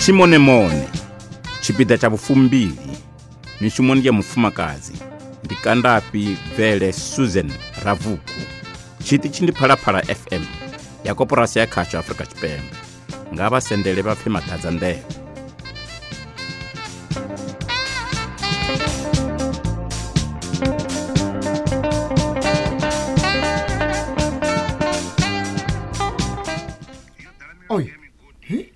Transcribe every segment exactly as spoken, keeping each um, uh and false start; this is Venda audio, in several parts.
Tshimonemone tshipiḓa tsha vhufumbili mishumoni ya mufumakadzi ndi Kandafhi Bvele Susan Ravuku. Tshiṱitshi ndi Phalaphala F M ya Koporasi ya Khasho Afrika Tshipembe. Nga vha sendele vha pfe maḓadza nḓevhe. Oi. Hi?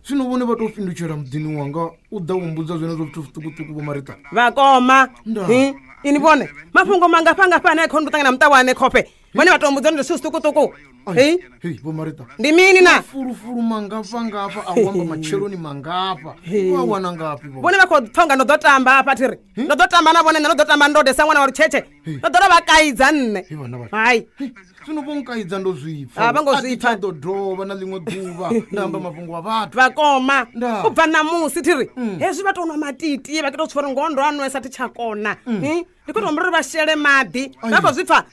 Zwino vhone vha tou fhindutshela muḓini wanga u ḓa u mbudza zwenezwo zwithu zwiṱukuṱuku vho Marita. Vhakoma. Ndaa. Hi? Ini vhone mafhungo mangafha ngafha ane a khou ndo ṱangana muṱa wa ane khofhe. Vhone vha tou mbudza uri ndi zwithu zwiṱukuṱuku. Hi? Hei vho Marita. Ndi mini na? Fulufulu mangafha ngafha a u amba matsheloni mangafha. Wa wana ngafhi vho? Vhone vha khou pfa unga ndo ḓo tamba hafha thiri. Ndo ḓo tamba na vhone nṋe ndo ḓo tamba ndode sa ṅwana wa lutshetshe. Ndo ḓo vha kaidza nṋe. Hei vhana vha. Hai. Zwino vho nkaidza ndo zwi pfa. A vho ngo zwi pfa. A thi tsha ḓo dovha na ḽiṅwe ḓuvha nda amba mafhungo a vhathu. Vhakoma. Ndaa. U bva ṋamusi thiri. Hezwi vha tou nwa matiti vha tou tswa uri ngoho ndo a nwesa thi tsha kona. Hi? Ndi khou tou humbela uri vha shele maḓi. Vha khou zwi pfa.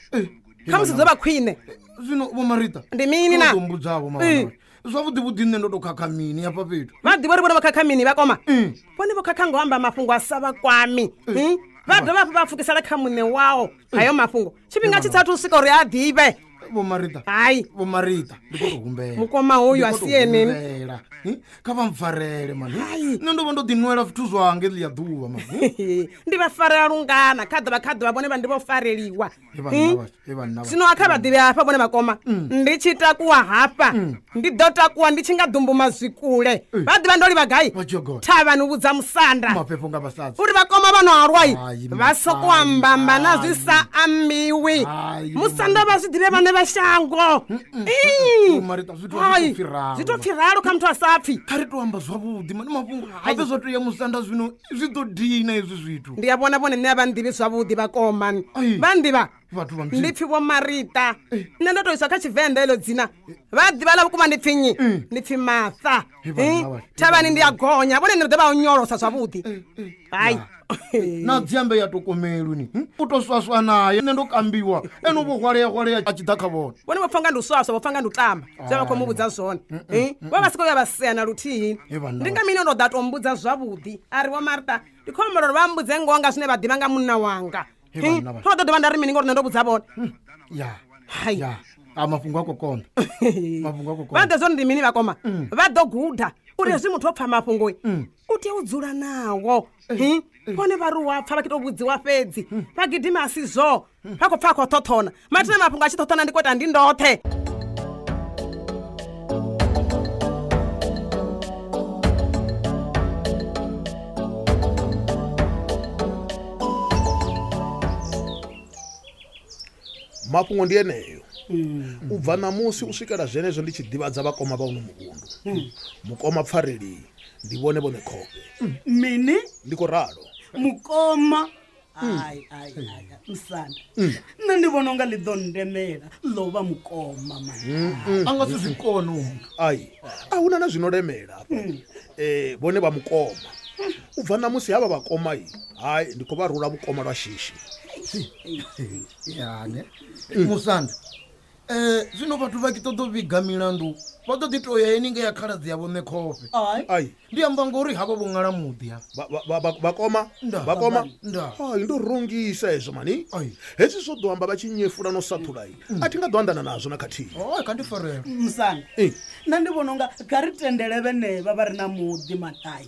Kha musi dzo vha khwine. Zwino vho Marita. Ndi mini na? Ndo mbudza vho mama. Zwavhuḓi vhuḓi nṋe ndo tou khakha mini hafha fhethu. Vha ḓivha uri vhone vho khakha mini vhakoma. Vhone vho khakha ngo amba mafhungo a sa vha kwami. Vha dovha hafhu vha pfukisela kha muṋe wao hayo mafhungo. Tshifhinga tshi sathu swika uri a ḓivhe. Vho Marita. Hai. Vho Marita ndi khou tou humbela. Mukoma hoyu a si ene. Kha vha mpfarele mani. Nṋe ndo vha ndo ḓinwela zwithu zwanga ḽia ḓuvha mani. Ndi vha farela lungana kha ḓuvha kha ḓuvha vhone vha ndi vho fareliwa. Zwino a kha vha ḓivhe hafha vhone vhakoma. Ndi tshi takuwa hafha ndi ḓo takuwa ndi tshi nga ḓumbu mazwikule. Vha ḓivha ndo livha gai? Thavhani u vhudza musanda. Mafhefho nga vhasadzi. Uri vhakoma vha no halwai vha soko amba amba na zwi sa ambiwi. Musanda vha zwi ḓivhe vhane vha shango. Zwi to pfi ralo kha muthu a sa pfi. Kha ri to amba zwavhuḓi mani mafhungo habe zwa to ya musanda zwino zwi ḓo dina hezwi zwithu. Ndi a vhona vhone nṋe a vha nḓivhi zwavhuḓi vhakoma. Vha nḓivha. Ndi pfi vho Marita. Nṋe ndo to iswa kha Tshivenḓa elo dzina. Vha ḓivha ḽa vhukuma ndi pfi nnyi? Ndi pfi Martha. Thavhani ndi a gonya vhone nṋe ri ḓo vha onyolosa zwavhuḓi. Hai. Na dziambe ya tokomeluni u to swaswa naye nṋe ndo kambiwa ene vho hwalea hwalea a tshi ḓa kha vhone. Vhone vho pfa nga ndi u swaswa vho pfa nga ndi u tamba zwe vha khou mu vhudza zwone. Vho vha si khou ya vha sea na luthihi. Ndi nga mini ndo ḓa to mbudza zwavhuḓi a ri vho Martha ndi khou humbela uri vha mbudze ngoho nga zwine vha ḓivha nga munna wanga. Tho ḓo dovha nda ri mini ngori nṋe ndo vhudza vhone. Ya. Hai. Ya. A mafhungo a khou konḓa. Mafhungo a khou konḓa. Vha ḓo zwone ndi mini vhakoma? Vha ḓo guda uri hezwi muthu o pfa mafhungo u tea u dzula nawo. Vhone vha ri wa pfa vha tou vhudziwa fhedzi. Vha gidima a si zwo. Vha khou pfa a khou ṱhoṱhona. Mathina mafhungo a tshi ṱhoṱhona ndi khou ita ndi ndoṱhe. Mafhungo ndi eneyo. U bva ṋamusi u swikela zwenezwo ndi tshi ḓivhadza vhakoma vha uno muvhundu. Mukoma pfareli ndi vhone vhone khofhe. Mini? Ndi khou ralo. Mukoma. Ai ai ai musanda. Nṋe ndi vhona unga ḽi ḓo ndemela ḽo vha mukoma mani. A nga si zwi kone u. Ai. A huna na zwino lemela hafha. Eh vhone vha mukoma. U bva ṋamusi havha vhakoma i. Hai ndi khou vha rula vhukoma lwa shishi. Ya ne. Musanda. Eh zwino vhathu vha ki ṱoḓo vhiga milandu vha ḓo ḓi to ya eni ngea khaladzi ya vhone khofhe. Ai. Ndi amba ngori havha vho ṅala muḓi ha. Vhakoma vhakoma. Hai ndo rungisa hezwo mani. Hezwi zwo ḓo amba vha tshi nyefula no sathula i. A thi nga ḓo anḓana nazwo na khathihi. Hai kha ndi farela. Musanda. Nṋe ndi vhona unga kha ri tendele vhenevha vha re na muḓi matai.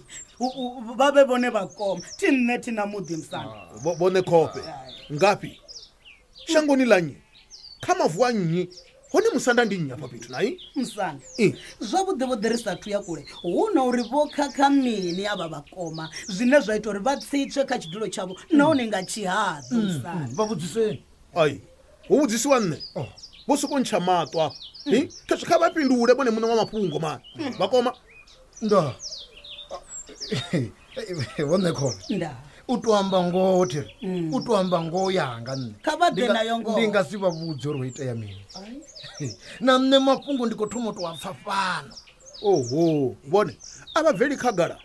Vha vhe vhone vhakoma. Thi nṋe thi na muḓi musanda. Vhone khofhe. Ngafhi? Shangoni ḽa nnyi? Kha mavu a nnyi? Hone musanda ndi nnyi hafha fhethu nai? Musanda. Zwavhuḓi vhuḓi ri sathu ya kule hu na uri vho khakha mini avha vhakoma zwine zwa ita uri vha tsitswe kha tshidulo tshavho nahone nga tshihaḓu musanda. Vha vhudziseni. Ai. Hu vhudzisiwa nṋe. Vho soko ntsha maṱo afha. Hi? Khezwi kha vha fhindule vhone muṋe wa mafhungo mani. Vhakoma. Nda. Vhone khofhe. Nda. U to amba ngoho thiri. U to amba ngoho yanga nṋe. Kha vha ḓe nayo ngoho. Ndi nga si vha vhudze uri ho itea mini. Na nṋe mafhungo ndi khou thoma u to a pfa fhano. Oho, vhone a vha bveli khagala.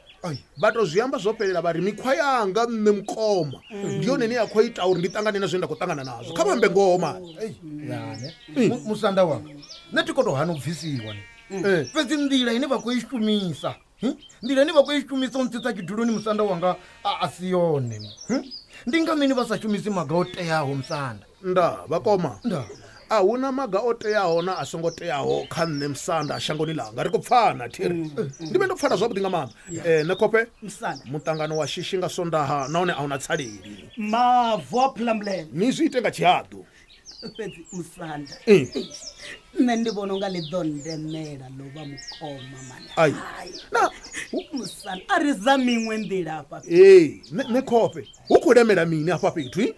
Vha to zwi amba zwo fhelela vha ri mikhwa yanga nṋe mukoma. Ndi yone ine ya khou ita uri ndi ṱangane na zwine nda khou ṱangana nazwo. Kha vha ambe ngoho mani. Ya ne. Musanda wanga. Nṋe thi khou to hana u bvisiwa ni. Fhedzi nḓila ine vha khou i shumisa Nḓila ine vha khou i shumisa u ntsitsa tshiduloni musanda wanga a si yone. Ndi nga mini vha sa shumisi maga o teaho musanda? Nda vhakoma. Nda. A huna maga o teaho na a songo teaho kha nṋe musanda shangoni langa. Ri khou pfana thiri. Ndi vhe ndo pfana zwavhuḓi nga maanḓa. Eh Nekhofhe, muṱangano wa shishi nga Sondaha nahone a huna tsaleli. Mavu a Phulamulele. Ni zwi ite nga tshihaḓu. Fhedzi musanda. Nṋe ndi vhona unga ḽi ḓo ndemela ḽo vha mukoma mana. Ai. Na musanda a ri za miṅwe nḓila afha. Ee, Nekhofhe, hu khou lemela mini afha fhethu?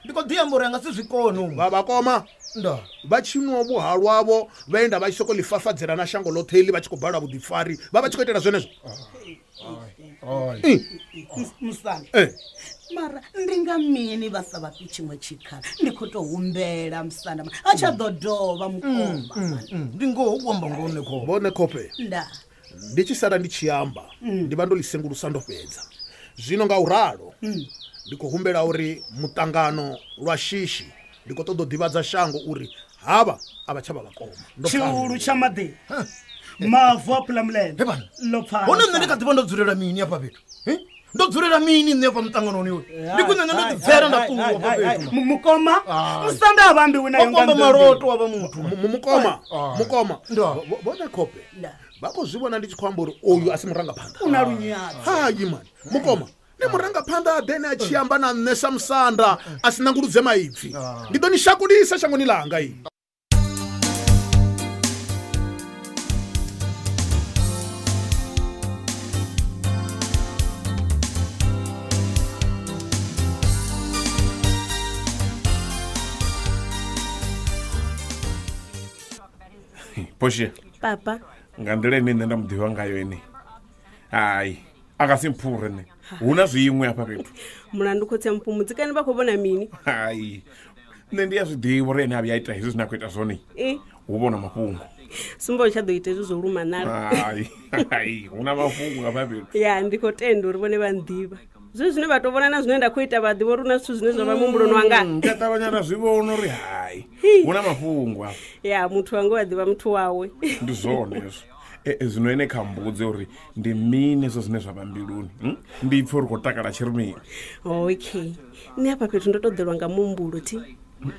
Ndi khou ḓi amba uri a nga si zwi kone. Vha vhakoma. Nda. Vha tshi nwa vhuhalwavho vha enda vha tshi soko ḽifafadzela na shango ḽoṱhe iḽi vha tshi khou balwa vhuḓifari vha vha tshi khou itela zwenezwo. Ai. Musanda. Eh. Mara ndi nga mini vha sa vhafhi tshiṅwe tshikhala? Ndi khou tou humbela musanda a tsha ḓo dovha mukoma. Ndi ngoho u amba ngoho Nekhofhe. Vho Nekhofhe. Nda. Ndi tshi sala ndi tshi amba ndi vha ndo ḽi sengulusa ndo fhedza. Zwino nga u ralo ndi khou humbela uri muṱangano lwa shishi ndi khou ṱoḓa u ḓivhadza shango uri havha a vha tsha vha vhakoma. Tshiulu tsha maḓi. Mavu a Phulamulele. Ḽo pfana. Hone nṋe ndi kha ḓivha ndo dzulela mini afha fhethu? Ndo dzulela mini nṋe afha muṱanganoni uyu? Ndi khwine nṋe ndo ḓi bvela nda ṱuwa afha fhethu. Mukoma, musanda a vha ambiwi nayo nga nḓila. Maloto wa vha muthu. Mukoma, mukoma. Vho Nekhofhe vha khou zwi vhona ndi tshi khou amba uri oyu a si murangaphanḓa. U na lunyadzo. Hayi mani, mukoma. Ndi murangaphanḓa a ḓene a tshi amba na nṋe sa musanda a si nanguludze maipfi. Ndi ḓo ni shakulisa shangoni ḽanga i. Poshia. Papa. Nga nḓila ine nṋe nda mu ḓivha ngayo ene. Hai, a nga si mphure nṋe. Hu na zwiṅwe afha fhethu. Mulandu khotsi a Mupfumudzi kani vha khou vhona mini? Hai, nṋe ndi a zwi ḓivha uri ene a vhuya a ita hezwi zwine a khou ita zwone. Hu vhona mafhungo. Sumba u tsha ḓo ita hezwi zwo luma nala. Hai, hai, hu na mafhungo afha fhethu. Ya, ndi khou tenda uri vhone vha nḓivha. Zwe zwine vha to vhona na zwine nda khou ita vha ḓivha uri hu na zwithu zwine zwa vha muhumbuloni wanga. Ndi a ṱavhanya nda zwi vhona uri hai, hu na mafhungo afha. Ya, muthu wanga u a ḓivha muthu wawe. Ndi zwone hezwo. E zwino ene kha mbudze uri ndi mini hezwo zwine zwa vha mbiluni. Ndi pfhe uri khou takala tshi ri mini. Okay. Nṋe hafha fhethu ndo to ḓelwa nga muhumbulo thi.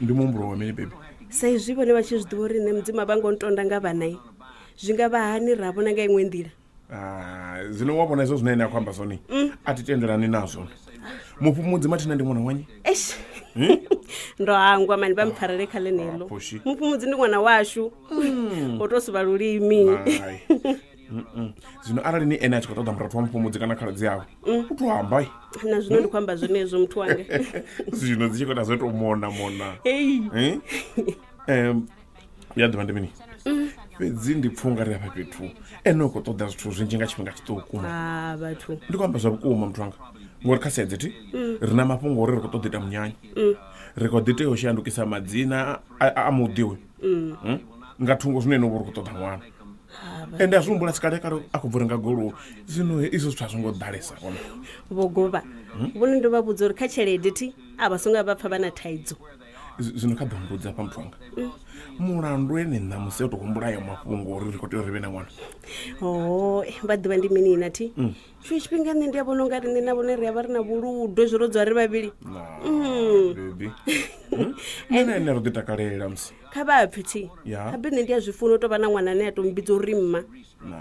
Ndi muhumbulo wa mini baby? Sa izwi vhone vha tshi zwi ḓivha uri nṋe Mudzimu a vha ngo ntonda nga vhana, zwi nga vha hani ra vhona nga iṅwe nḓila? Ah, zwino wa vhona hezwo zwine ene a khou amba zwone a thi tendelani nazwo. Mupfumudzi mathina ndi ṅwana wanyi? Eish. Ndo hangwa mani vha mpfarele kha ḽeneḽo. Mupfumudzi ndi ṅwana washu. O to suvha lulimi. Zwino arali ni ene a tshi khou ṱoḓa murathu wa Mupfumudzi kana khaladzi yawe, u to amba. Na zwino ndi khou amba zwenezwo muthu wanga. Zwino dzi tshi khou ita zwo tou mona mona. Ei. Em ya ḓivha ndi mini? Fhedzi ndi pfha unga ri afha fhethu ene u khou ṱoḓa zwithu zwinzhi nga tshifhinga tshiṱuku. Ah, vhathu. Ndi khou amba zwa vhukuma muthu wanga. Ngori kha sedze thi ri na mafhungo uri ri khou ṱoḓa ita munyanya. Ri khou ḓi tea u shandukisa madzina a muḓi uyu. Nga thungo zwino ene u vha uri khou ṱoḓa ṅwana. Ende a zwi humbula sikale kale a khou bva renga goloi. Zwino izwo zwithu a zwo ngo ḓalesa hone. Vho Govha, vhone ndo vha vhudza uri kha tshelede thi a vha songo vha pfa vha na thaidzo. Zwino kha ḓo mbudza hafha muthu wanga. Mulandu ene ṋamusi o tou humbula ayo mafhungo uri ri khou tea uri ri vhe na ṅwana. Oh, vha ḓivha ndi mini na thi? Tshiṅwe tshifhinga nṋe ndi a vhona unga riṋe na vhone ri a vha ri na vhuludo hezwi ro dzula ri vhavhili. Baby. Nṋe na ene ro ḓi takalela musi. Kha vha pfe thi. Habe nṋe ndi a zwi funa u tou vha na ṅwana ane a tou mmbidza uri mma. Na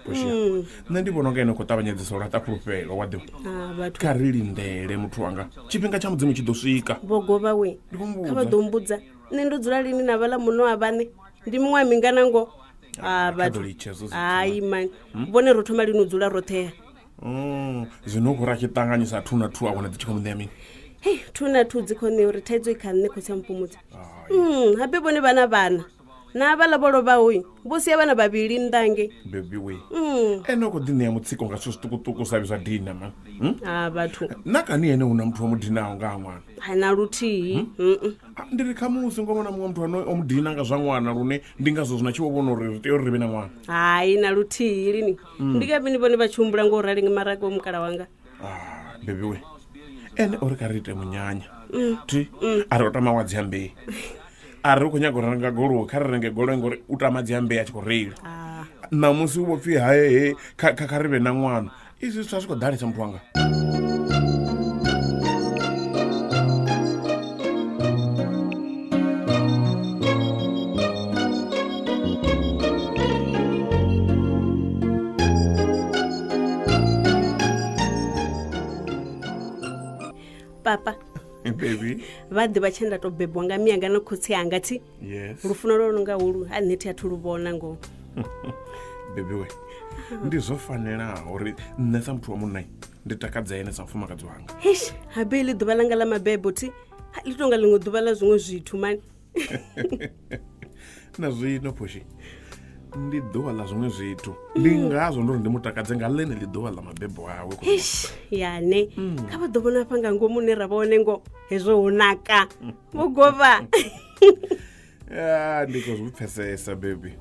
Poshia. Nṋe ndi vhona unga ene u khou ṱavhanyedzisa u laṱa fhulufhelo wa ḓivha. Ah, vhathu. Kha ri lindele muthu wanga. Tshifhinga tsha Mudzimu tshi ḓo swika. Vho Govha we. Kha vha ḓo mbudza. Nṋe ndo dzula lini na vhaḽa muno wa vhaṋe. Ndi miṅwaha mingana ngo? Ah, vhathu. Hai mani. Vhone ro thoma lini u dzula roṱhe. Mm, zwino u khou ra tshi ṱanganyisa two na two a vhona dzi tshi khou ṋea mini? Hei, two na two dzi khou ṋea uri thaidzo i kha nṋe khotsi a Mupfumudzi. Mm, habe vhone vhana vhana. Na vhaḽa vho lovhaho vho sia vhana vhavhili nnḓa ngei. Baby we. Mm. Ene u khou ḓi ṋea mutsiko nga zwithu zwiṱukuṱuku sa zwa dina man. Ah, vhathu. Na kani ene hu na muthu wa mudinaho nga ha ṅwana? Ha na luthihi. Ndi ri khamusi ngo vhona muṅwe muthu ano o mudina nga zwa ṅwana lune ndi ngazwo zwino tshi vho vhona uri ri tea uri ri vhe na ṅwana. Hai na luthihi lini. Ndi nga mini vhone vha tshi humbula ngo rali nga maraga wa mukala wanga. Ah, baby we. Ene o ri kha ri ite munyanya. Thi a ri o tama wa dziambei. A ri u khou nyaga u renga goloi, kha ri renge goloi ngori u tama dziambei a tshi khou reila. Ṋamusi u vho pfhi hae kha kha ri vhe na ṅwana. Izwi zwithu a zwi khou ḓalesa muthu wanga. Papa baby vha ḓivha tshe nda to bebwa nga mianga na khotsi anga thi. Yes. Lufuno lwo no nga holu a nṋe thi athu lu vhona ngoho. Baby we ndi zwo fanelaho uri nṋe sa muthu wa munna ndi takadze ene sa mufumakadzi wanga. Eish, habe ḽi ḓuvha langa ḽa mabebo thi ḽi tonga ḽiṅwe ḓuvha ḽa zwiṅwe zwithu mani. Na zwino Phoshi ndi ḓuvha ḽa zwiṅwe zwithu, ndi ngazwo ndo ri ndi mutakadze nga ḽene ḽi ḓuvha ḽa mabebo awe. Eish, yane kha vha ḓo vhona hafha nga ngomu hune ra vha hone ngo hezwo ho naka vho govha. Ya ndi khou zwi pfesesa baby.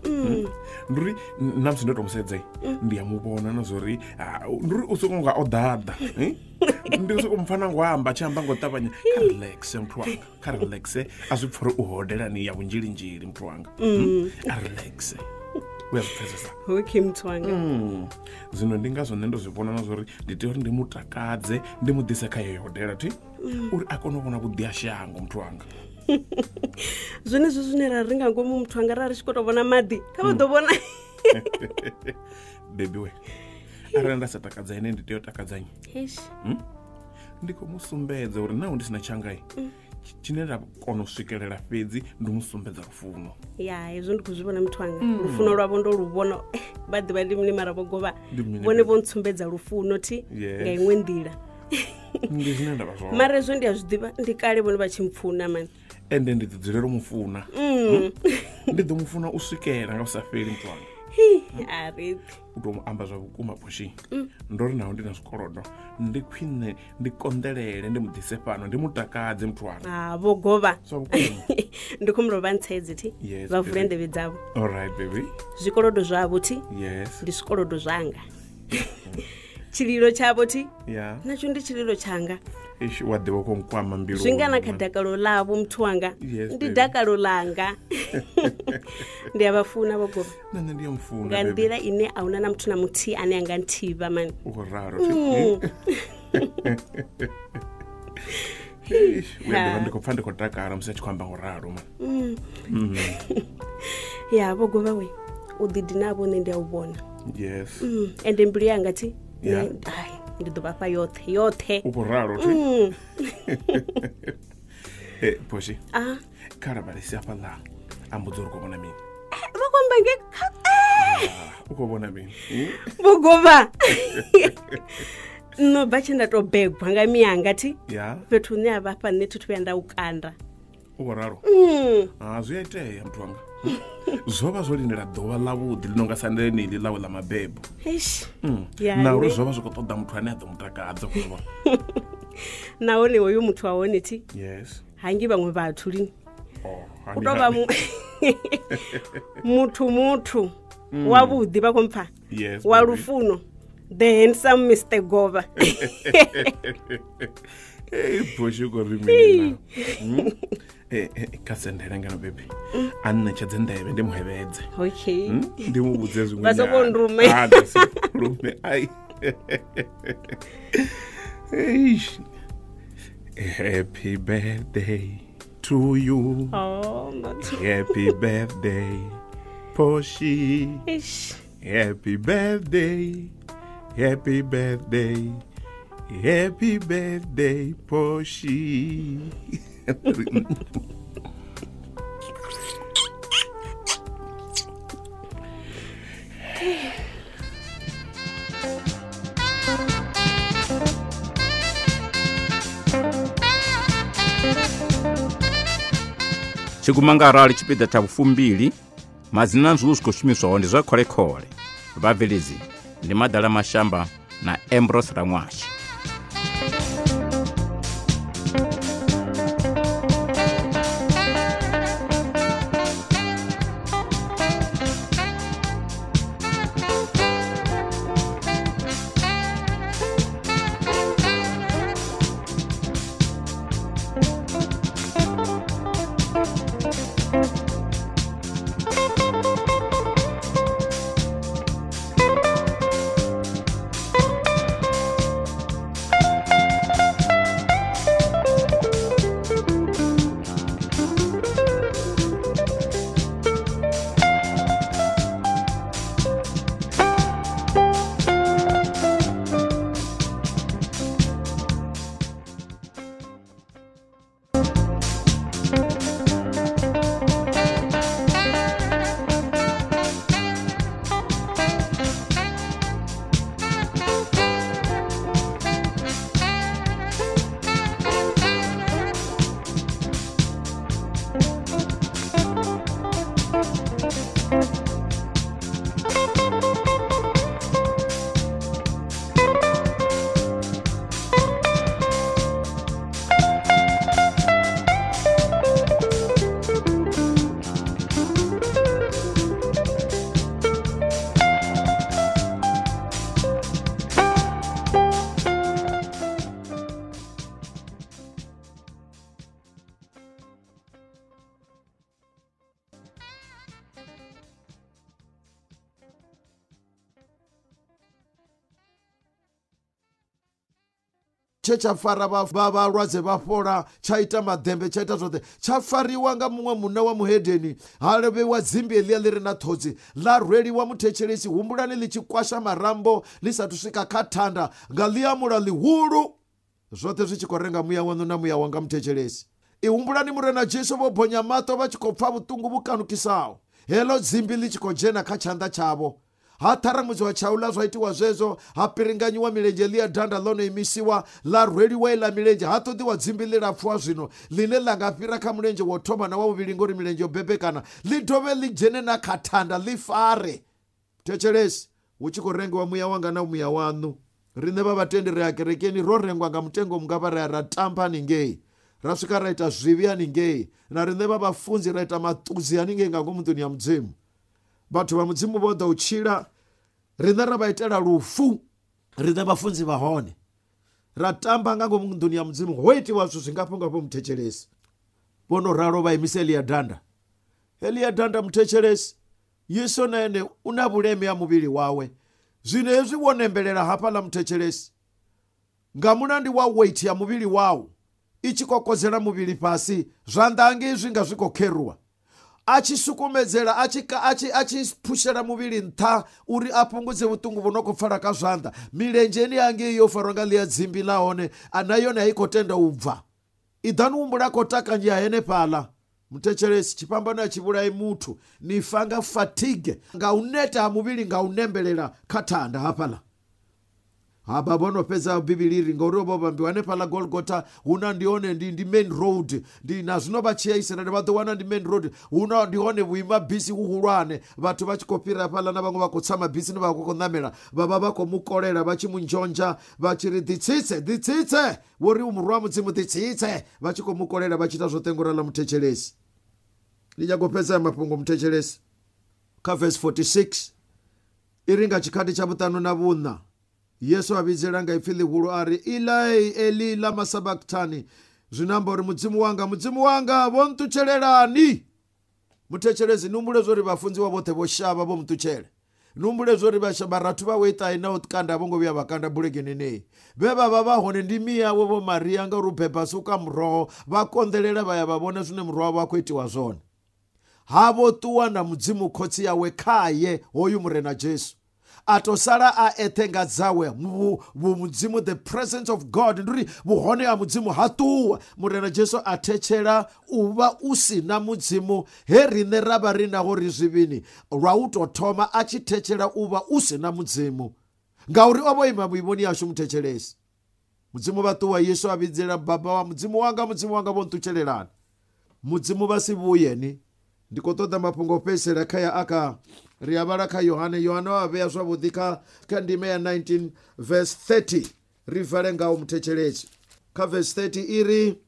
Ndi uri na musi ndo to musedza ndi a mu vhona na zwori ndi uri u soko nga o ḓaḓa. Ndi soko mpfa na ngo amba tshi amba ngo ṱavhanya kha relax muthu wanga, kha relax a zwi pfha uri u hodelani ya vhunzhilinzhili muthu wanga. A relax. U ya zwi pfesesa. Okay muthu wanga. Zwino ndi ngazwo nṋe ndo zwi vhona na zwori ndi tea uri ndi mutakadze ndi mu ḓise kha yeyo hodela thi uri a kone u vhona vhuḓi ha shango muthu wanga. Zwenezwo zwine ra ri nga ngomu muthu anga ra ri tshi khou tou vhona maḓi kha vha ḓo vhona. Baby we arali nda sa takadza ene ndi tea u takadza nnyi? Eish. Ndi khou mu sumbedza uri naho ndi sina tshangai tshine nda kona u swikelela fhedzi ndi mu sumbedza lufuno. Ya hezwo ndi khou zwi vhona muthu wanga, lufuno lwavho ndo lu vhona vha ḓivha ndi mini mara vho govha vhone vho ntsumbedza lufuno thi nga iṅwe nḓila. Ndi zwine nda vha zwone. Mara hezwo ndi a zwi ḓivha ndi kale vhone vha tshi mpfuna mani. Ende ndi ḓi dzulela u mufuna. Ndi ḓo mufuna u swikela nga u sa fheli muthu wanga. A ri u tou amba zwa vhukuma Phoshi ndo ri naho ndi na zwikolodo ndi khwine ndi konḓelele ndi mu ḓise fhano ndi mutakadze muthu wanga. Ah vho govha zwa vhukuma. Ndi khou mulovha ntsedze thi vha vule nḓevhe dzavho. All right baby. Zwikolodo zwavho thi yes ndi zwikolodo zwanga. Tshililo tshavho thi yeah natsho ndi tshililo tshanga. Eish wa ḓivha khou nkwama mbilu. Zwi nga na kha dakalo ḽavho muthu wanga ndi dakalo langa. Ndi a vha funa vho govha. Nṋe ndi a mufuna nga nḓila ine a huna na muthu na muthihi ane a nga nthivha mani. U khou ralo thi. Eish we ḓivha ndi khou pfa ndi khou takala musi a tshi khou amba ngo ralo mani. Ya vho govha we u ḓidina vho nṋe ndi a u vhona. Yes. Ende mbilu yanga thi ai ndi ḓo vha fha yoṱhe yoṱhe. U khou ralo thi. Eh Phoshi. Ah kha lavhelese hafhaḽa a mbudza uri u khou vhona mini. Vha khou amba nge u khou vhona mini? Vho govha. Nno bva tshe nda tou begwa nga mianga thi fhethu hune a vha fha nṋe thi thu vhuya nda u kanda. U khou ralo? Ah zwi a itea muthu wanga. Zwo vha zwo lindela ḓuvha ḽavhuḓi ḽi no nga sa ḽeneḽi ḽawe ḽa mabebo. Eish. Na uri zwo vha zwi khou ṱoḓa muthu ane a ḓo mutakadza khou vhona. Nahone hoyu muthu wa hone thi yes hangi vhaṅwe vhathu lini. Oh u tou vha muthu muthu wavhuḓi vha khou mpfa wa lufuno the handsome Mister Govha. Ei Phoshi u khou ri mini na? Eh kha sendele ngano baby. A ṋetshedze nḓevhe ndi muhevhedze. Okay. Ndi mu vhudze zwiṅwe. Vha soko nrume. Ah ndi rume ai. Eish. Happy birthday to you. Oh, motho. Happy birthday Phoshi. Eish. Happy birthday. Happy birthday. Happy birthday Phoshi. Tshiguma nga arali tshipiḓa tsha vhufumbili madzina zwiḽu zwi khou shumiswaho ndi zwa kholekhole. Vhabveledzi ndi Madala Mashamba na Ambrose Raṅwashi. tshe tsha fara vha vhalwadze vha fhola, tsha ita maḓembe, tsha ita zwoṱhe, tsha fariwa nga muṅwe munna wa muhedeni, ha lovhewa dzimbi heḽia ḽi re na ṱhodzi, ḽa rweliwa muthetshelesi. Humbulani ḽi tshi kwasha marambo ḽi sathu swika kha thanda nga ḽiamula ḽihulu, zwoṱhe zwi tshi khou renga muya waṋu na muya wanga muthetshelesi. I humbulani Murena Jesu vho bonya maṱo vha tshi khou pfa vhuṱungu vhu kanukisaho, heḽo dzimbi ḽi tshi khou dzhena kha tshanḓa tshavho. Ha ṱharamudziwa tshaula zwa itiwa zwezwo, ha piringanyiwa milenzhe ḽia danda ḽo no imisiwa, ḽa rweliwa iḽa milenzhe, ha ṱoḓiwa dzimbi ḽilapfu ha zwino ḽine ḽa nga fhira kha mulenzhe wo thoma na wa vhuvhili ngori milenzhe yo bebekana, ḽi dovhe ḽi dzhene na kha thanda ḽi fare. Thetshelesi, hu tshi khou rengiwa muya wanga na muya waṋu. Riṋe vha vhatendi ri ya kerekeni ro rengwa nga mutengo mungafha, ra ya ra tamba haningei, ra swika ra ita zwivhi haningei, na riṋe vha vhafunzi ra ita maṱudzi haningei nga ngomu nḓuni ya Mudzimu. Vhathu vha Mudzimu vho ḓa u tshila, riṋe ra vha itela lufu, riṋe vhafunzi vha hone ra tamba nga ngomu nḓuni ya Mudzimu. Ho itiwa zwithu zwingafho ngafho muthetshelesi. Vho no ralo vha imisa Elia danda. Elia danda muthetshelesi, Yesu na ene u na vhuleme ha muvhili wawe. Zwino hezwi wo nembelela hafhaḽa muthetshelesi, nga mulandu wa weight ya muvhili wau i tshi kokodzela muvhili fhasi, zwanḓa hangei zwi nga zwi khou kheruwa. A tshi sukumedzela, a tshi a tshi a tshi phushela muvhili nṱha uri a fhungudze vhuṱungu vhu no khou pfala kha zwanḓa. Milenzheni hangei yo farwa nga ḽia dzimbi ḽa hone, a na yone a i khou tenda u bva. I ḓani humbula khou takanyia henefhaḽa muthetshelesi. Tshifhambano a tshi vhulai muthu, ni fa nga fatigue, nga u neta ha muvhili, nga u nembelela kha thanda hafhaḽa. Ha vha vho no fhedza Bivhili ri ngauri vho vhambiwa hanefhaḽa Golgotha, huna ndi hone ndi ndi main road, ndi na zwino vha tshi ya Israel vha ḓo wana ndi main road, huna ndi hone vhuima bisi huhulwane, vhathu vha tshi khou fhira hafhaḽa na vhaṅwe vha khou tsa mabisini vha khou ṋamela, vha vha vha khou mu kolela vha tshi mu nzhonzha vha tshi ri ḓitsitse, ḓitsitse, wo ri u murwa wa Mudzimu ḓitsitse, vha tshi khou mu kolela vha tshi ita zwoṱhe ngo ralo muthetshelesi. Ndi nyago u fhedza mafhungo muthetshelesi kha verse forty-six i ri nga tshikhathi tsha vhuṱanu na vhuṋa Yesu a vhidzela nga ipfi ḽihulu a ri, Elai, Eli lama sabachthani, zwino amba uri Mudzimu wanga, Mudzimu wanga, vho nṱutshelelani. Muthetshelesi, ni humbule zwo ri vhafunziwa vhoṱhe vho shavha vho muṱutshela. Ni humbule zwo ri vharathu vhawe iṱahi na u kanda a vho ngo vhuya vha kanda bulekeni nei. Vhe vha vha vha hone ndi miyawe vho Maria ngauri u beba suka muroho, vha konḓelela vha ya vha vhona zwine muroho wavho a khou itiwa zwone. Ha vho ṱuwa na Mudzimu khotsi yawe khaye hoyu Murena Jesu. A to sala a eṱhe nga dzawe vhu Mudzimu, the presence of God, ndi uri vhuhone ha Mudzimu ha ṱuwa. Murena Jesu a thetshela u vha u si na Mudzimu he riṋe ra vha ri naho ri zwivhini, lwa u tou thoma a tshi thetshela u vha u si na Mudzimu, ngauri o vho ima vhuimoni hashu muthetshelesi. Mudzimu vha ṱuwa, Yesu a vhidzela baba wa Mudzimu wanga, Mudzimu wanga, vho nṱutshelelani. Mudzimu vha si vhuye ni. Ndi khou ṱoḓa mafhungo o fhedzisela kha ya aka ri a vhala kha Yohane. Yohane wa vhea zwavhuḓi kha kha ndime ya nineteen verse thirty, ri vale ngaho muthetshelesi. Kha verse thirty i ri,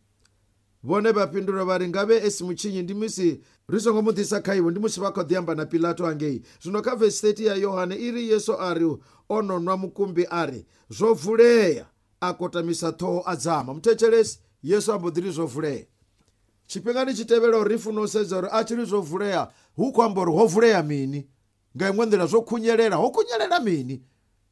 vhone vha fhindula vha ri, ngavhe e si mutshinyi ndi musi ri songo mu ḓisa kha iwe, ndi musi vha khou ḓi amba na Pilato hangei. Zwino kha verse thirty ya Yohane i ri, Yesu a ri o no nwa mukumbi a ri, zwo vulea, a kotamisa ṱhoho a dzama. Muthetshelesi, Yesu a mbo ḓi ri zwo vulea. Tshifhingani tshi tevhelaho ri funa u sedza uri a tshi ri zwo vulea hu khou amba uri ho vulea mini, nga iṅwe nḓila zwo khunyelela, ho khunyelela mini,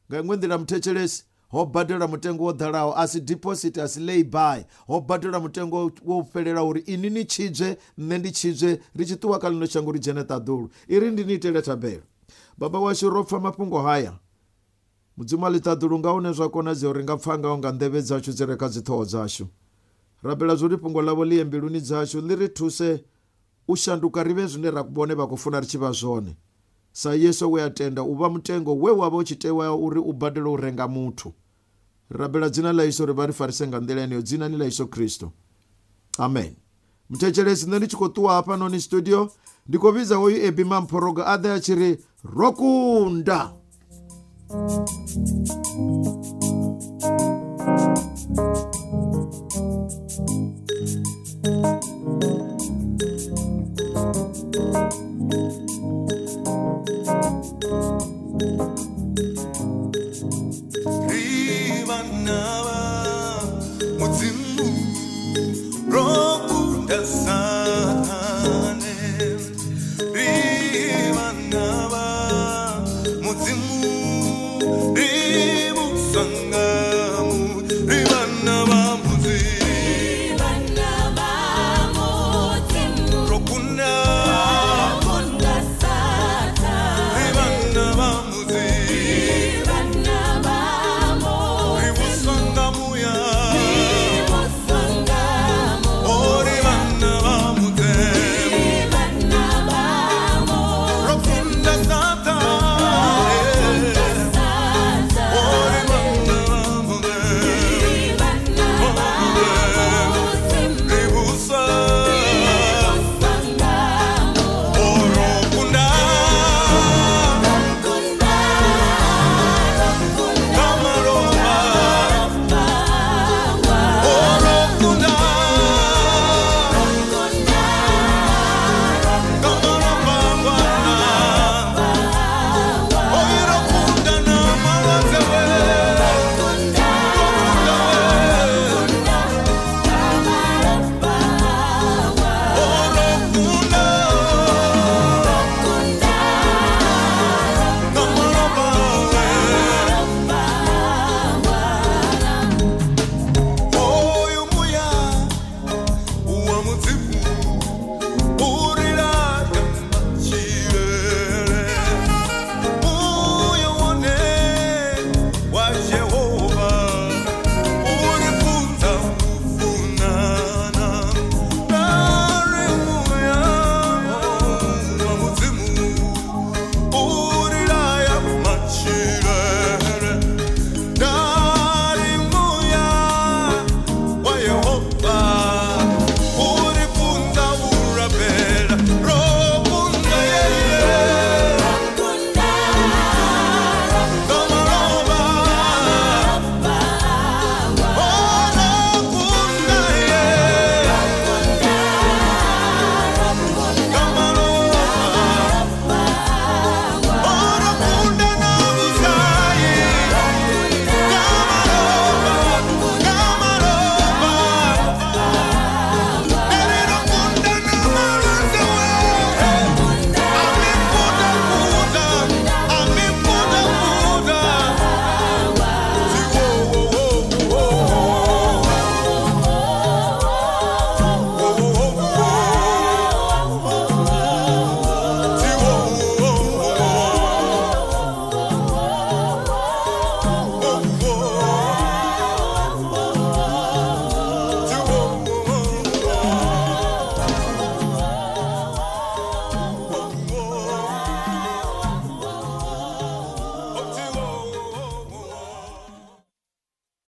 nga iṅwe nḓila muthetshelesi ho badela mutengo wo ḓalaho, a si deposit, a si lay by, ho badela mutengo wo fhelela uri ini ni tshidzwe, nṋe ndi tshidzwe, ri tshi ṱuwa kha ḽino shango ri dzhene ṱaḓulu. I ri ndi ni itele thabelo. Baba washu, ro pfa mafhungo haya. Mudzimu wa ḽiṱaḓulu, nga hune zwa konadzea uri nga pfa ngaho nga nḓevhe dzashu dzi re kha dziṱhoho dzashu, rabela zwo ri fhungo ḽavho ḽi ye mbiluni dzashu, ḽi ri thuse u shanduka ri vhe zwine ra vhone vha khou funa ri tshi vha zwone, sa Yesu we a tenda u vha mutengo we wa vha u tshi tewa uri u badele u renga muthu. Rabela dzina ḽa Yesu uri vha ri farise nga nḓila yeneyo, dzinani ḽa Yesu Kristo, amen. Muthetshelesi, nṋe ndi tshi khou ṱuwa hafhanoni studio, ndi khou vhidza hoyu Ebi Mamphorogo a ḓe a tshi ri ro kunda. Ri vhana vha Mudzimu.